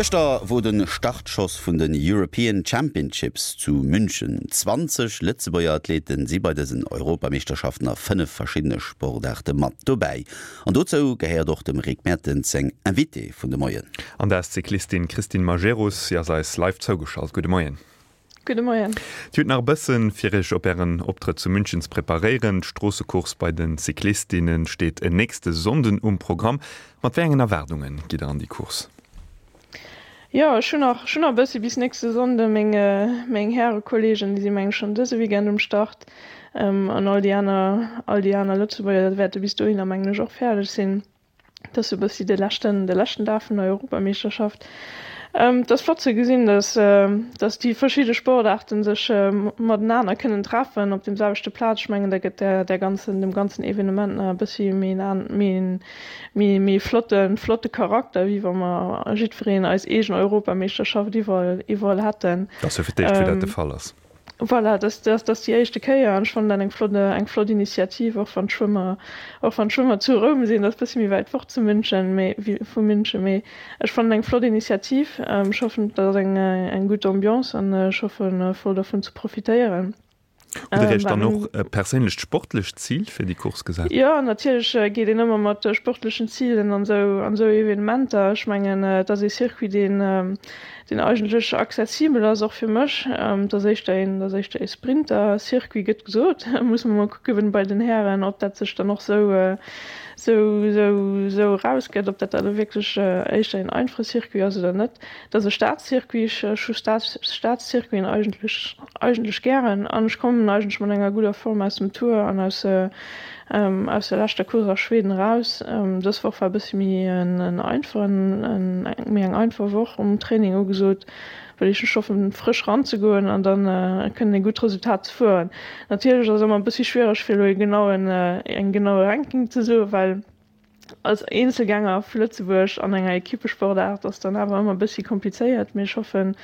Gëschter wor de Startschoss vun den European Championships zu München. 20 Lëtzebuerger Athleten si bei dësen Europameeschterschaften a 5 verschiddene Sportaarte mat dobäi. An dozou gehéiert och dem Rick Mertens seng Invitée vun de Moien. An dat ass d'Cyclistin Christine Majerus. Si ass eis live zougeschalt. Gudde Moien. Gudde Moien. Dir hutt nach e bëssen, fir Iech op Ären Optrëtt zu München ze preparéieren. D'Stroossecourse bei de Cyclistinne steet en nächste Sonnden um Programm. Mat wéi engen Erwaardunge gitt Der an déi Course? Jo, ech hunn nach, ech hunn nach e bëssi bis nächste Sonnde. Meng, meng Härekolleegen, déi si meng ech schonn dëse Weekend um Start. An all déi aner, all déi aner Lëtzebuerger wäerte bis dohinner mengen ech och fäerdeg sinn. Et ass sou e bëssi de leschten, de leschten Dag vun der Europameeschterschaft. Et ass flott ze gesinn, dass, dass déi verschidde Sportaarten sech matenaner kënnen treffen op deem selwechte Plaz. Ech mengen, dat gëtt der, der ganzen, dem ganzen Evenement nach e bëssi méi en, méi en, méi, méi flotten, flotte Charakter, wéi wa mer jiddwereen eis eegen Europameeschterschaft iwwerall, iwwerall hätten. Dat ass jo fir d'éischt, wou dat de Fall ass. Voilà, dat dat ass déi éischte Kéier an ech fannen dat eng flott eng flott Initiativ, och wann d'Schwëmmer och wann d'Schwëmmer zu Roum sinn, dat ass bëssi méi wäit fort zu München, mee wéi vu München, mee ech fannen eng flott Initiativ. Ech hoffen, et ass eng eng gutt Ambiance an ech hoffen voll dervun ze profitéieren. Hutt Der Iech dann och e perséinlecht sportlecht Zil fir déi Course gesat? Jo, natierlech geet een ëmmer mat sportlechen Zilen an esou an esou Evenementer. Ech mengen, et ass ee Circuit, deen deen eigentlech accessibel ass, och fir mech. Et ass éischter een, et ass éischter ee Sprinter-Circuit, gëtt gesot. Muss mer mol kucke wéi bei den Hären, ob dat sech dann och sou, sou, sou, sou erausgëtt, ob dat da elo wierklech éischter een einfache Circuit ass oder net. Et ass e Staatscircuit, ech hu Staatscircuiten eigentlech, eigentlech gären an ech kommen eigentlech mat enger gudder Form aus dem Tour an aus, Aus der leschter Course a Schweden eraus. Dës Woch war e bëssi méi en einfachen, méi eng einfach Woch um Training ugesot, well ech hoffen frësch ranzegoen an dann kënnen e gutt Resultat ze fueren. Natierlech ass et ëmmer e bëssi schwiereg fir elo e genauen, eng genaue Ranking ze soen, well als Eenzelgänger vu Lëtzebuerg an enger Equippesportaart ass dann awer ëmmer e bëssi komplizéiert, mee ech hoffen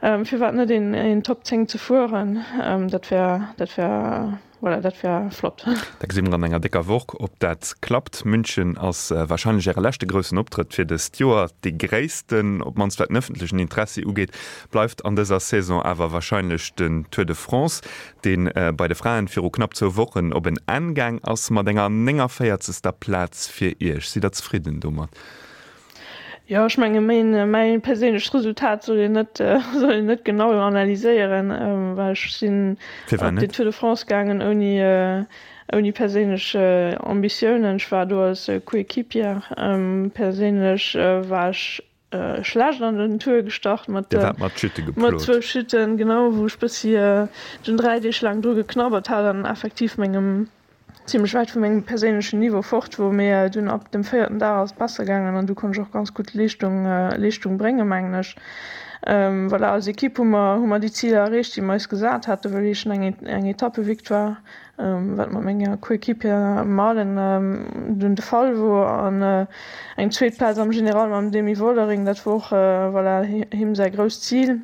firwat net een Top 10 ze fueren, dat wär, dat wär. Voilà, dat wär flott. Da gesi mer an enger décker Woch, ob dat klappt. München ass warscheinlech Äre leschte groussen Optrëtt fir dëst Joer. Dee gréissten, op d'mannst wat den ëffentlechen Interessi ugeet, bleift an dëser Saison awer warscheinlech den Tour de France, dee bei de Fraen viru knapp zwou Wochen op en Enn gaang ass mat enger 49. Plaz fir Iech. Sidd Der zefridden domat? Jo, ech menge mäin perséinlecht Resultat soll een net soll een net genau analyséieren, well ech sinn op den Tour de France gaangen ouni ouni perséinlech Ambitiounen. Ech war do als Coéquipière. Perséinlech war ech schlecht an den Tour gestart mat mat zwou Chuten, genau, wou ech bëssi dunn 3 Deeg laang dru geknabbert hat an effektiv mengem zimlech wäit vu mengem perséinlechen Niveau fort wor, mee dunn ab dem véierten Dag ass et besser gaangen an du konnt ech och ganz gutt Leeschtung Leeschtung bréngen, mengen ech. Voilà, als Equipe hu mer hu mer déi Ziler erreecht, déi mer eis gesat haten, wëll heeschen eng eng Etappevictoire, wat mat menger Coéquipière Marlen dunn de Fall wor an eng zweet Plaz am General mam Demi Vollering, dat wor och voilà him säi grousst Zil.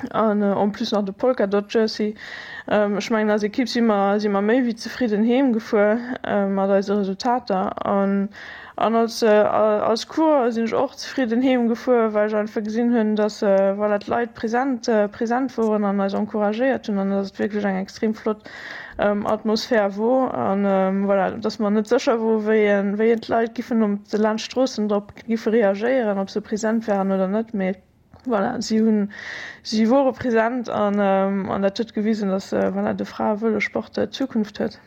An en plus nach de Polka Dot Jersey. Ech mengen als Ekipp si mer si mer méi wéi zefridden heem gefuer mat eise Resultater. An an als als Coureur sinn ech och zefridden heem gefuer, well ech einfach gesinn hunn, datt voilà d'Leit present present woren an eis encouragéiert hunn an datt et wierklech eng extrem flott Atmosphär wor. An voilà, datt mer net sécher wor wéi wéi d'Leit giffen op de laanscht d'Stroossen drop giffe reagéieren, ob se present waren oder net, mee. Voilà, si hunn, si wore present an an dat huet gewisen, datt voilà, de Frae-Vëlossport Zukunft huet.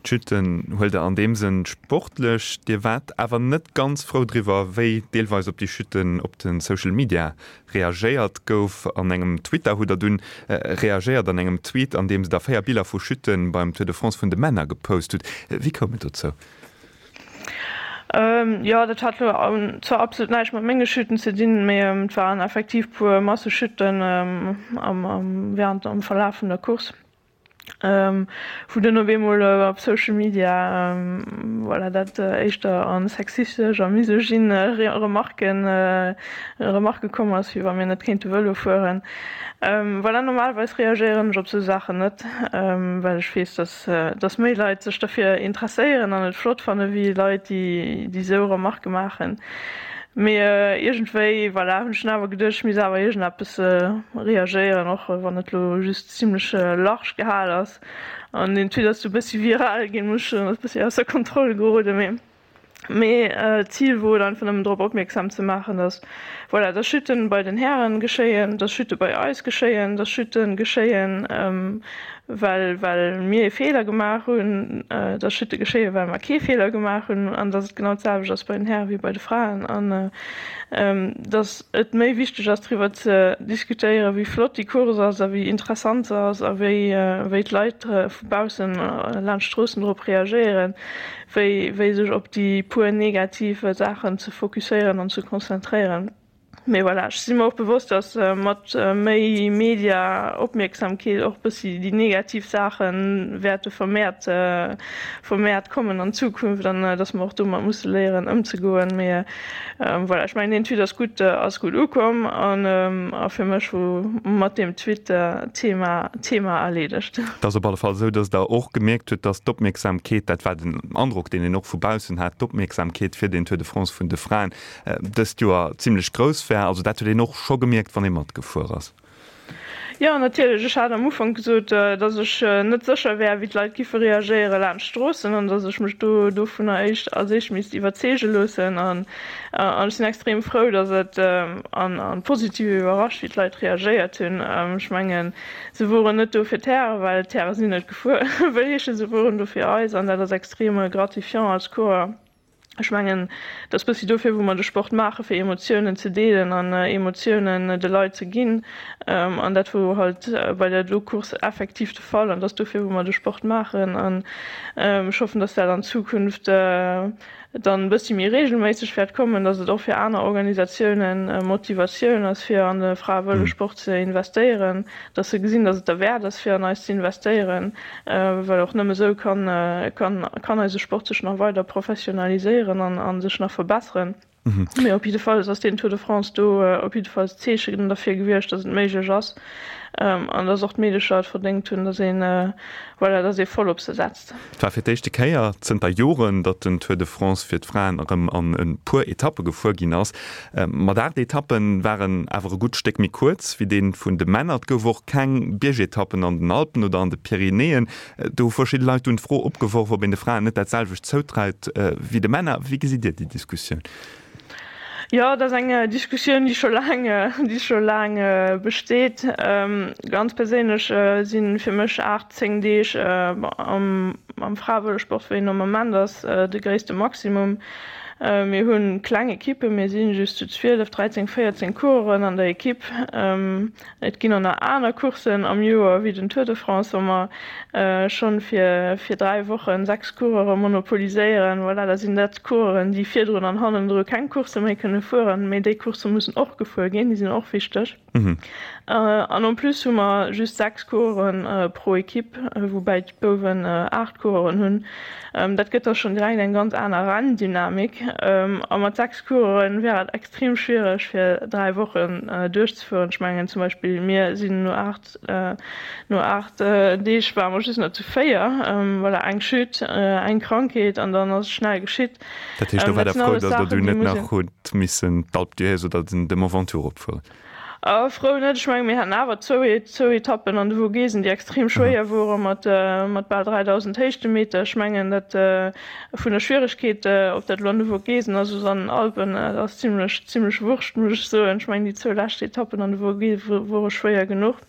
D'Chute huelt Der an deem Sënn sportlech. Dir waart awer net ganz frou driwwer, wéi deelweis op déi Chutten op de Social Media reagéiert gouf. An engem Twitter hutt Der dunn reagéiert an engem Tweet, an deem Der 4 Biller vu Chutte beim Tour de France vun de Männer gepost hutt. Wéi koum et dozou? Jo, dat hat lo zwar absolut näischt mat menge Chuten ze dinn, mee et waren effektiv puer Massechuten am während am Verlaf vun der Course, wou dunn op eemol op Social Media voilà dat éischter a sexistesch a misogyne Remarken Remarke komm ass, wéi wa mir net kéinte Vëlo fueren. Voilà, normalerweis reagéieren ech op sou Saachen net, well ech weess, dass dass méi Leit sech derfir interesséieren an et flott fanne wéi Leit, déi déi sou Remarquë maachen. Mee iergendwéi, voilà, hunn ech dunn awer geduecht, ech misst awer iergendeppes reagéieren, och wann et elo just zimlech large gehal ass. An deen Tweet ass du e bëssi viral ginn, muss ech soen, ass e bëssi ausser Kontroll geroden. Mee mee d'Zil wor et einfach nëmmen drop opmierksam ze maachen, dass, voilà, dass Chuten bei den Hären geschéien, dass Chute bei eis geschéien, dass Chuten geschéien, well well mir ee Feeler gemaach hunn, dass Chute geschéien, well mer kee Feeler gemaach hunn, an dass et genau d'selwecht ass bei den Häre wéi bei de Fraen, an dass et méi wichteg ass driwwer ze diskutéieren, wéi flott déi Course ass a wéi interessant se ass a wéi wéi d'Leit vu baussen laanscht d'Stroossen drop reagéieren, wéi wéi sech op déi puer negativ Saachen ze fokusséieren an ze konzentréieren. Mee voilà, ech si mer och bewosst, datt mat méi Media-Opmierksamkeet och bëssi déi negativ Saache wäerte vermehrt, vermehrt kommen an Zukunft an datt mer och domat musse léieren ëmzegoen. Mee voilà, ech mengen deen Tweet ass gutt, ass gutt ukomm an a fir mech wor mat deem Tweet d'Thema, d'Thema erleedegt. Et ass op alle Fall esou, datt Der och gemierkt hutt, datt d'Opmierksamkeet, dat war den Androck, deen een och vu baussen hat, d'Opmierksamkeet fir den Tour de France vun de Fraen, dëst Joer zimlech grouss war. Also dat huet een och scho gemierkt, wann ee matgefuer ass. Jo, natierlech. Ech hat am Ufank gesot, datt ech net sécher wär, wéi d'Leit giffe reagéiere laanscht d'Stroossen an datt ech mech do dovunner éischt als éischt misst iwwerzeege loossen. An ech sinn extrem frou, datt et an positiv iwwerrascht, wéi d'Leit reagéiert hunn. Ech mengen, se woren net do fir d'Hären, well d'Häre sinn net gefuer, wëll heeschen, se woren do fir eis an dat ass extrem gratifiant als Coureur. Ech mengen, et ass bëssi dofir, wou mer de Sport maachen, fir Emotiounen ze deelen an Emotiounen de Leit ze ginn. An dat wor halt bei där do Course effektiv de Fall. An et ass dofir, wou mer de Sport maachen. An ech hoffen, dass dat an Zukunft dann e bëssi méi reegelméisseg wäert kommen, dass et och fir aner Organisatiounen Motivatioun ass, fir an de Fraevëlossport ze investéieren. dass se gesinn, dass et derwäert ass, fir an eis ze investéieren, well och nëmme esou kann, kann, kann eise Sport sech nach weider professionaliséieren an, a sech nach verbesseren. Mee op jiddefalls ass deen Tour de France do op jiddefalls d'Zeechen derfir gewiescht, dass et méiglech ass an dass och d'Meedecher et verdéngt hunn, dass een, voilà, dass ee voll op se setzt. Et war fir d'éischte Kéier zënter Joren, datt den Tour de France fir d'Fraen erëm an e puer Etappe gefuer ginn ass. Mat 8 Etappe waren awer e gutt Stéck méi kuerz wéi dee vun de Männer. Et gouf och keng Biergetappen an den Alpen oder an de Pyrenäen. Do hu verschidde Leit dunn d'Fro opgeworf, ob een de Fraen net dat selwecht zoutraut wéi de Männer. Wéi gesitt Dir déi Diskussioun? Jo, et ass eng Diskussioun, déi scho laang, déi scho laang besteet. Ganz perséinlech si fir mech 8, 10 Deeg am am Fraevëlossport, wéi en am Ament ass, de gréisste Maximum. Mir hu kleng Ekippen, mir si just zu 12, 13, 14 Coureuren an der Ekipp. Et ginn och nach aner Courssen am Joer wéi den Tour de France, wou mer schonn fir fir 3 Wochen 6 Coureure monopoliséieren. Voilà, da sinn dat Coureuren, déi virdrun an hannendru keng Coursse méi kënne fueren. Mee déi Coursse mussen och gefuer ginn, déi sinn och wichteg. An en plus hu mer just 6 Coureuren pro Ekipp, woubäi d'Bouwen 8 Coureuren hunn. Dat gëtt da schonn direkt eng ganz aner Renndynamik. A mat 6 Coureuren wär et extrem schwiereg fir 3 Wochen duerchzefueren. Ech mengen zum Beispill mir sinn no 8 no 8 Deeg ware mer just nach zu 4. Voilà, eng Chute, eng Krankheet an dann ass et schnell geschitt. Dat heescht do war der frou, datt der du net nach hutt missen d'Alpe d'Huez oder de Mont Ventoux eropfueren? Frou net, ech menge mir haten awer zwou zwou Etappen an de Vogesen, déi extrem schwéier wore mat mat bal 3.000 Héichtemeter. Ech mengen dat vun der Schwieregkeet, ob dat elo an de Vogesen ass oder an den Alpen, dat ass zimlech zimlech wurscht, muss ech soen. Ech mengen déi zwou lescht Etappen an de Vogese wore schwéier genuch.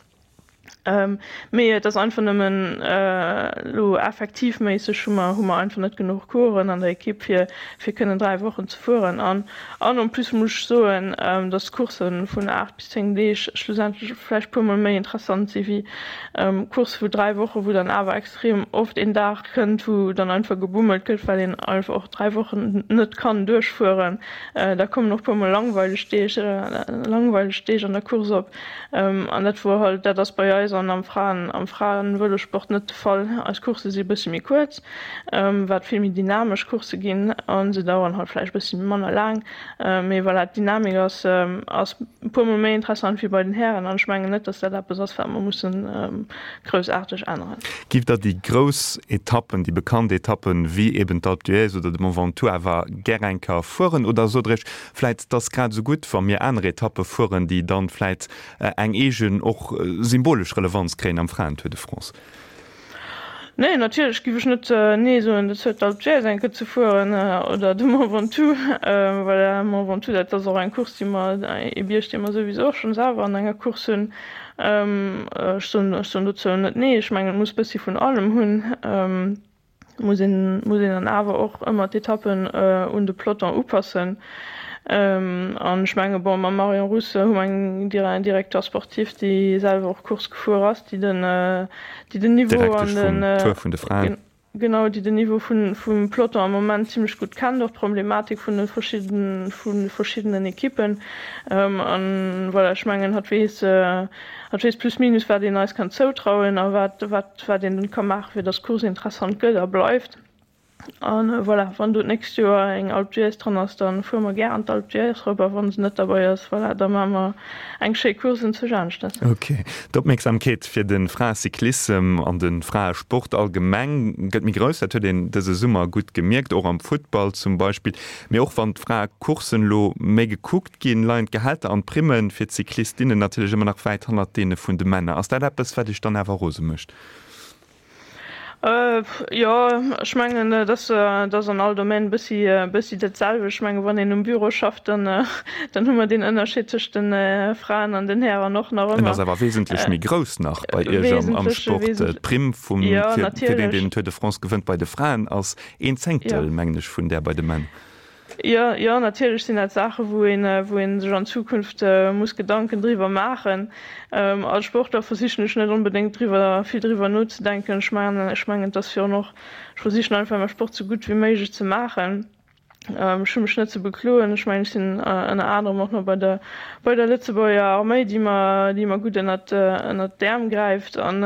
Mee et ass einfach nëmmen elo effektivméisseg hu mer hu mer einfach net genuch Coureuren an der Ekipp fir fir kënnen 3 Wochen ze fueren. An an en plus muss ech soen, datt Coursse vun 8 bis 10 Deeg schlussendlech vläicht puer mol méi interessant si wéi Coursse vu 3 Wochen, wou dann awer extrem oft een Dag kënnt, wou dann einfach gebummelt gëtt, well een einfach och 3 Wochen net kann duerchfueren. Da kommen och puer mol langweileg Deeg langweileg Deeg an der Course op. An dat wor halt, dat ass bei eis. eis an am Fraen, am Fraenvëlosport net de Fall. Eis Coursse si e bëssi méi kuerz, wat vill méi dynamesch Coursse ginn a se daueren halt vläicht e bëssi manner laang. Mee voilà, d'Dynamik ass, ass e puer mol méi interessant wéi bei den Hären an ech mengen net, dass dat eppes ass, wat mer mussen groussaarteg änneren. Giff Der déi grouss Etappen, déi bekannt Etappen, wéi eben d'Alpe d'Huez oder de Mont Ventoux awer gär eng Kéier fueren? Oder sot Der Iech vläit, et ass grad esou gutt, wa mir aner Etappe fueren, déi dann vläit eng eegen, och symbolesch Relevanz kréien am Fraen-Tour de France? Nee, natierlech giff ech net nee soen dozou, d'Alpe d'Huez eng Kéier ze fueren oder de Mont Ventoux. Voilà, Mont Ventoux, dat ass och eng Course, déi mer, ee Bierg, dee mer souwisou och schonn selwer an enger Course hunn. Ech soen, ech soen dozou net nee. Ech mengen, et muss bëssi vun allem hunn. Muss een, muss een dann awer och ëmmer d'Etappen un de Peloton upassen. An ech menge bon, mam Marion Rousse hu mer eng Directeur sportif, déi selwer och Course gefuer ass, déi den, déi den Niveau an den. Direktesch vum Tour vun de Fraen. Genau, déi den Niveau vun, vum Peloton am Moment zimlech gutt kennt, och d'Problematik vun de verschidden, vu verschiddenen Ekippen. An voilà, ech mengen, hatt weess, hatt weess plus minus, wat een eis kann zoutrauen a wat, wat, wat een ka maachen, fir dass d'Course interessant gëtt a bleift. An voilà, wann do d'nächst Joer eng Alpe d'Huez dran ass, da fuere mer gär an d'Alpe d'Huez erop. A wa se net derbei ass, voilà, da maache mer eng schéi Course enzwousch aneschters. Ok. D'Opmierksamkeet fir de Fraecyclissem an de Fraesport allgemeng gëtt méi grouss. Dat huet een dëse Summer gutt gemierkt, och am Futtball zum Beispill. Mee och wann d'Fraecourssen elo méi gekuckt ginn, leien d'Gehälter an d'Primme fir d'Cyclistinnen natierlech ëmmer nach wäit hannert deene vun de Männer. Ass dat eppes, wat Iech dann awer rose mécht? Jo, ech mengen, et ass, et ass an all Domaine e bëssi, e bëssi dat selwecht. Ech mengen, wann een um Büro schafft, dann, dann hu mer deen Ënnerscheed tëscht de Fraen an den Hären och nach ëmmer. En ass awer wesentlech méi grouss nach bei Iech am, am Sport. D'Primm vum, fir, fir deen, deen den Tour de France gewënnt bei de Fraen ass een Zéngtel, mengen ech, vun där bei de Männ. Jo, jo, natierlech sinn dat Saachen, wou een, wou ee sech an Zukunft muss Gedanken driwwer maachen. Als Sportler versichen ech net onbedéngt driwwer, vill driwwer nozedenken. Ech mengen, ech mengen, et ass virun och, ech versichen einfach mäi Sport sou gutt wéi méiglech ze maachen. Ech hu mech net ze bekloen. Ech mengen, ech sinn ënner anerem och nach bei der, bei der Lëtzebuerger Arméi, déi mer, déi mer gutt ënnert, ënnert d'Äerm gräift. An,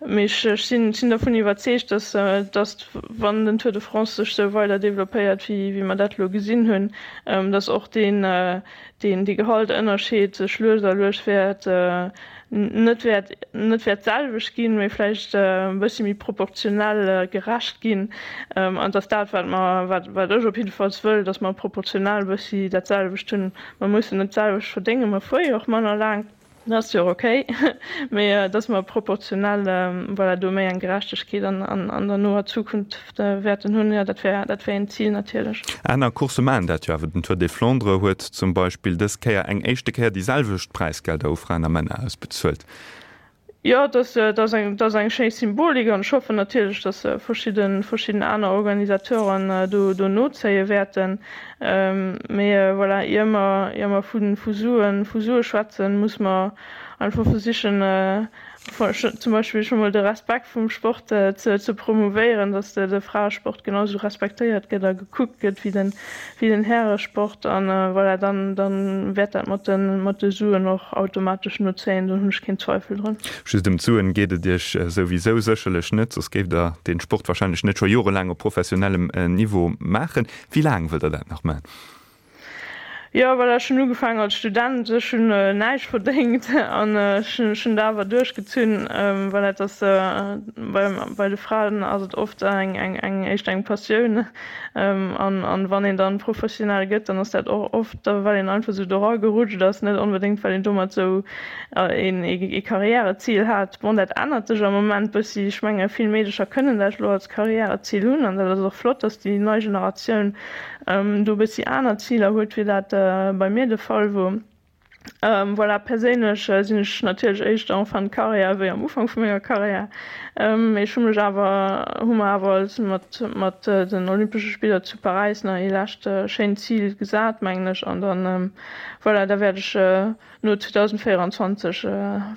mee ech, ech sinn, sinn dervun iwwerzeegt, dass, dass, wann den Tour de France sech sou weider developpéiert, wéi mer dat elo gesinn hunn, dass och deen, deen, dee Gehaltënnerscheed sech lues a lues wäert net wäert, net wäert d'selwecht ginn, mee vläicht e bëssi méi proportionell gerecht ginn. An dass dat, wat mer, wat, wat ech op jiddefalls wëll, dass mer proportionell e bëssi dat selwecht hunn. Mer mussen net d'selwecht verdéngen, mer fuere jo och manner laang. Dat ass jo och okay, mee dass mer proportionell, voilà, do méi eng Gerechtegkeet an der noer Zukunft wäerten hunn, jo, dat wär, dat wär een Zil natierlech. Aner Coursse maachen dat jo awer. Den Tour des Flandres huet zum Beispill dës Kéier eng éischte Kéier déi selwecht Präisgelder u Fraen a Männer ausbezuelt. Jo, dat ass eng, dat ass eng schéi Symbolik an ech hoffen natierlech, dass verschidden, verschidden aner Organisateuren do, do nozéie wäerten. Mee voilà, ier mer, ier mer vu, vu Suen, vu Sue schwätzen, muss mer einfach versichen, zum Beispill scho mol de Respekt vum Sport ze, ze promouvéieren, dass de, de Fraesport genau esou respektéiert gëtt a gekuckt gëtt wéi den, wéi den Häresport an voilà, dann, dann wäert dat mat de, mat de Suen och automatesch nozéien, do hunn ech keen Zweifel drun. Just ëm d'Suen geet et Iech souwisou sécherlech net, soss géift Der dee Sport wahrscheinlech net scho jorelaang op professionellem Niveau maachen. Wéi laang wëllt Der dat nach maachen? Jo, voilà, ech hunn ugefaangen als Student, ech hunn näischt verdéngt an ech hunn dat awer duerchgezunn. Voilà, et ass bei de Fraen ass et oft eng eng éischter eng Passioun an an wann een dann professionell gëtt, dann ass dat och oft da well een einfach esou dora gerutscht ass, net onbedéngt well een domat esou een ee Karriärezil hat. Bon, dat ännert sech am Moment bëssi, ech menge vill Meedecher kënnen dat elo als Karriärezil hunn an dat ass och flott, datt déi nei Generatioun do e bëssi aner Ziler huet, wéi dat bei mir de Fall wor. Voilà, perséinlech sinn ech natierlech éischter en fin de carrière wéi am Ufank vu menger Carrière. Mee ech hu mech awer, hu mer awer als mat mat den Olympesche Spiller zu Paräis nach ee lescht schéint Zil gesat, mengen ech. An dann, voilà, da wäert ech no 2024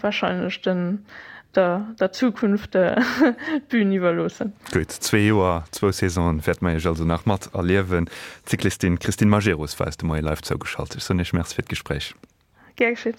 wahrscheinlech den der der Zukunft d'Bühn iwwerloossen. Gutt, zwee Joer, zwou Saisonen wäerte mer Iech also nach mat erliewen. D'Cyclistin Christine Majerus war eis de Moie live zougeschalt. Ech soen Iech Merci fir d'Gespréich. Gär geschitt.